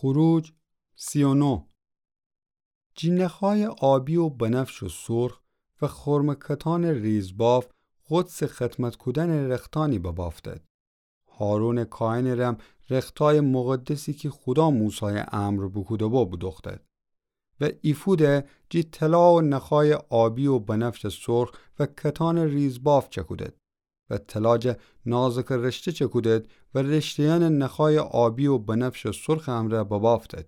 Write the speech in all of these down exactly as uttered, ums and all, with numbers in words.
خروج سی و نه. جی نخایٚ آبی و بنفش و سرخ و خرمٚ کتانٚ ریزباف قدسٚ خدمت کودنٚ رختانی ببافتد. هارونٚ کاهنٚ رم رختایٚ مقدسی کی خودا موسایٚ امر بوکوده‌بو بودوختد. و ایفوده جی طلا و نخایٚ آبی و بنفشٚ سرخ و کتانٚ ریزباف چکودد. و طلا جا نازکٚ رشته چکودد و رشته‌یأنٚ نخایٚ آبی و بنفشٚ سرخٚ امرأ ببافتد.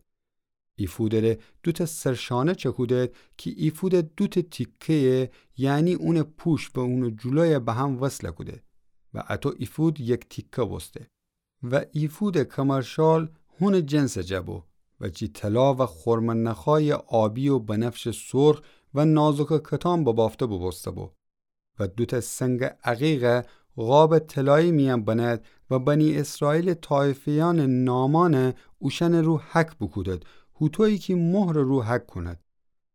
ایفودٚ ره دوتأ سرشانه چکودد کی ایفودٚ دوتأ تیکه‌یه، یعنی اونٚ پوشت و اونٚ جلویه به هم وصله کوده. و اطو ایفود یک تیکه بوسته. و ایفودٚ کمرشال هونٚ جنسٚ جا بو و جی طلا و خرمٚ نخایٚ آبی و بنفشٚ سرخ و نازکٚ کتان ببافته بوبوسته بو. و دوتأ سنگٚ عقیقه قابٚ طلایی میأن بنأد و بنی اسرائیلٚ طایفه‌یأنٚ نامأنه اوشأنٚ رو حک بوکودد، هوطویی کی مهرٚ رو حک کونید.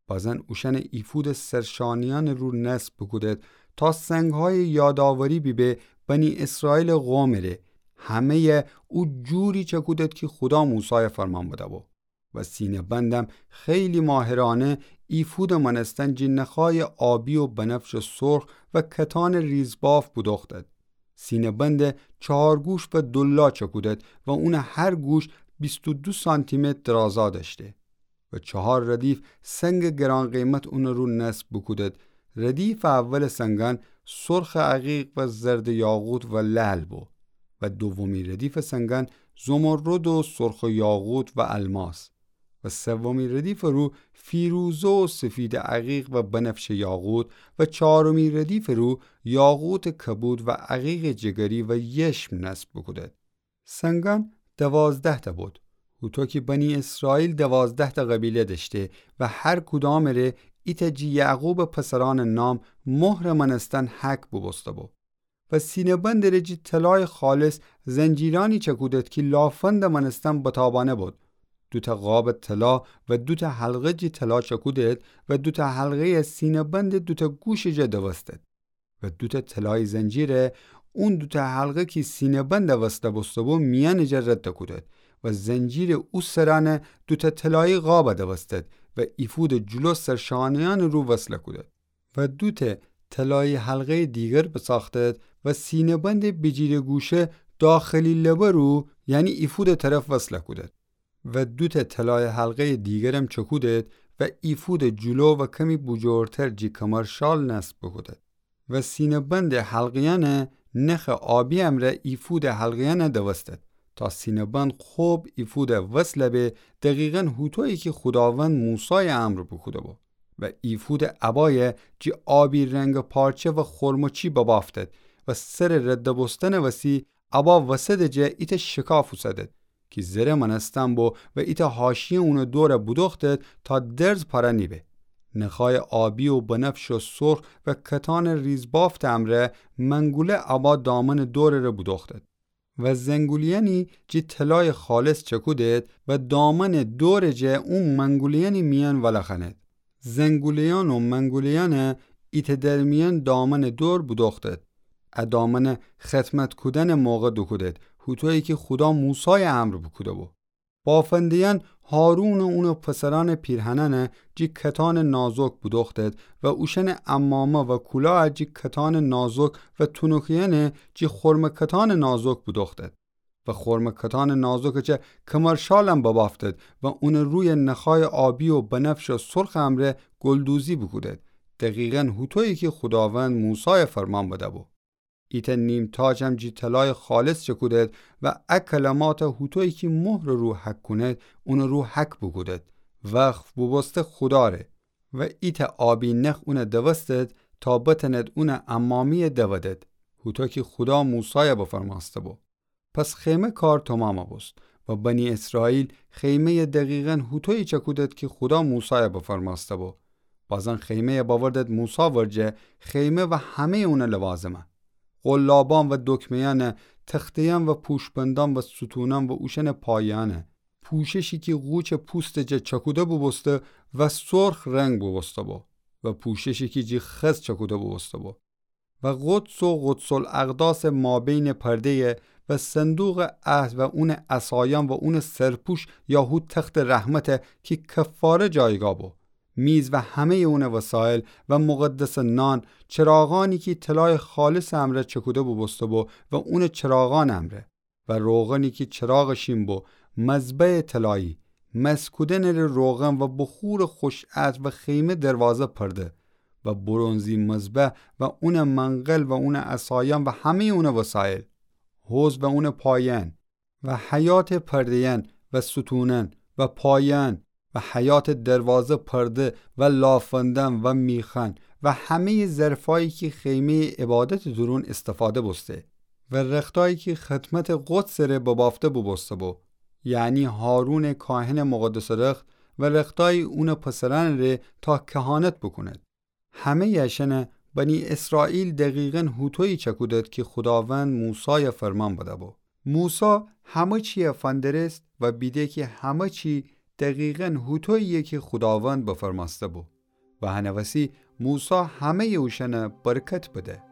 بازن اوشأنه ایفودٚ سرشانه‌یأنٚ رو نصب بوکودد، تا سنگهایٚ یادآوری بیبه بنی اسرائیلٚ قومٚ ره. همه‌یه او جوری چکودد کی خودا موسایه فرمان بده‌بو. و سینه‌بندم خیلی ماهرانه ایفودٚ مأنستن جی نخایٚ آبی و بنفشٚ سرخ و کتانٚ ریزباف بودوختد. سینه‌بنده چهار گوش و دولا چکودد و اونٚ هر گوش بیست و دو سانتیمتر درازا دأشته. و چهار ردیف سنگٚ گران‌قیمت اونٚ رو نصب بوکودد. ردیفٚ اولٚ سنگأن سرخٚ عقیق و زردٚ یاقوت و لعل بو. و دومی ردیفٚ سنگأن زمرد و سرخٚ یاقوت و الماس. و سومی ردیفٚ رو فیروزه و سفیدٚ عقیق و بنفشٚ یاقوت. و چهارمی ردیفٚ رو یاقوتٚ کبود و عقیقٚ جگری و یشم نصب بوکودد. سنگأن دوازده‌تأ بود. هوطو کی بنی اسرائیل دوازده‌تأ قبیله دأشته و هر کدامٚ ره ایتأ جی یعقوبٚ پسرأنٚ نام مهرٚ مأنستن حک بوبوسته‌بو. و سینه‌بندٚ ره جی طلایٚ خالص زنجیرأنی چکودد کی لافندٚ مأنستن بتابأنه بود. دوتأ قابٚ طلا و دوتأ حلقه جی طلا چکودد و دوتأ حلقه‌یه سینه‌بندٚ دوتأ گوشٚ جا دوستد. و دوتأ طلایی زنجیره اون دوتأ حلقه کی سینه‌بنده وصله بوسته‌بو میأنٚ جا رد کودد و زنجیرٚ او سرأنه دوتأ طلایی قابه دوستد و ایفودٚ جلو سرشانه‌یأنٚ رو وصله کودد. و دوتأ طلایی حلقه‌یٚ دیگر بساختد و سینه‌بندٚ بیجیرٚ گوشه داخلی لبه رو، یعنی ایفودٚ طرف وصله کودد. و دوتأ طلایٚ حلقه‌یٚ دیگرم چکودد و ایفودٚ جلو و کمی بوجورتر جی کمرشال نصب بوکودد. و سینه‌بندٚ حلقه‌یأنه نخٚ آبی امرأ ایفودٚ حلقه‌یأنه دوستد، تا سینه‌بند خوب ایفوده وصله به، دقیقاً هوطویی کی خوداوند موسایٚ امر بوکوده‌بو. و ایفودٚ عبایه جی آبی رنگٚ پارچه و خرمچی ببافتد و سرٚ رد بوستنٚ وسی عبا وسطٚ جا ایتأ شکاف اوسدد کی زره مأنستن بو و ایتأ حاشیه اونٚ دور بودوختد تا درز پاره نیبه. نخایٚ آبی و بنفش و سرخ و کتانٚ ریزبافتٚ امرأ منگوله عبا دامنٚ دورٚ ره بودوختد. و زنگولیأنی جی طلایٚ خالص چکودد و دامنٚ دورٚ جا او منگولیأنٚ میأن ولخأند. زنگولیأن و منگولیأنه ایتأ درمیأن دامنٚ دور بودوختد. ا دامنه خدمت کودنٚ موقع دوکودد، هوطویی کی خودا موسایٚ امر بوکوده‌بو. بافنده‌یأن هارون و اونٚ پسرأنٚ پیرهنأنه جی کتانٚ نازک بودوختد و اوشأنٚ عمامه و کلاه جی کتانٚ نازک و تونوکه‌یأنه جی خرمٚ کتانٚ نازک بودوختد. و خرمٚ کتانٚ نازکٚ جا کمرشالم ببافتد و اونٚ روی نخایٚ آبی و بنفشٚ سرخٚ امرأ گلدوزی بوکودد، دقیقاً هوطویی کی خوداوند موسایٚ فرمان بده‌بو. ایتأ نیم‌تاجم جی طلایٚ خالص چکودد و ا کلمات هوطویی کی مهرٚ رو حک کونید، اونٚ رو حک بوکودد، وقف بوبوسته خودا ره. و ایتأ آبی نخ اونه دوستد تا بتأند اونٚ عمامی‌یه دودد، هوطو کی خودا موسایٚ بفرمأسته‌بو. پس خیمه کار تومامٚ بوست و بنی اسرائیل خیمه‌یه دقیقاً هوطویی چکودد کی خودا موسایٚ بفرمأسته‌بو. بازن خیمه‌یه بأوردد موسی ورجه، خیمه و همه‌یٚ اونٚ لوازمه. قلابان و دکمه‌یأنه، تخته‌یأن و پوشبندأن و ستونأن و اوشأنٚ پایه‌یأنه، پوششی کی قوچٚ پوستٚ جا چکوده بوبوسته و سرخ رنگ بوبوسته‌بو و پوششی کی جی خز چکوده بوبوسته‌بو. و قدس و قدس الاقداسٚ مابینٚ پرده‌یه و صندوقٚ عهد و اونٚ عصایأن و اونٚ سرپوش یا هو تختٚ رحمته کی کفاره جایگاه بو، میز و همه‌یٚ اونٚ وسایل و مقدسٚ نان، چراغأنی کی طلایٚ خالصٚ امرأ چکوده بوبوسته‌بو و اونٚ چراغأنٚ امرأ، و روغنی کی چراغٚ شین بو، مذبحٚ طلایی، مسکودنٚ ره روغن و بخورٚ خوش‌عطر و خیمه دروازه پرده، و برنزی مذبح و اونٚ منقل و اونٚ عصایأن و همه‌یٚ اونٚ وسایل، حوض و اونٚ پایأن، و حیاطٚ پرده‌یأن و ستونأن و پایأن و حیاطٚ دروازه پرده و لافندأن و میخأن و همه‌یٚ ظرفأیی کی خیمه‌یٚ عبادتٚ دورون استفاده بوسته و رختأیی کی خدمتٚ قدسٚ ره ببافته بوبوسته‌بو، یعنی هارونٚ کاهنٚ مقدسٚ رخت و رختأیی اونٚ پسرأنٚ ره تا کهانت بوکونید. همه‌یٚ اشأنَ بنی اسرائیل دقیقاً هوطویی چکودید کی خوداوند موسایَ فرمان بده‌بو. موسی همه چیَ فندرست و بیده کی همه چی دقیقاً هوطویی‌یه کی خوداوند بفرمأسته‌بو. و هنٚ وسی موسی همه‌یٚ اوشأنَ برکت بده.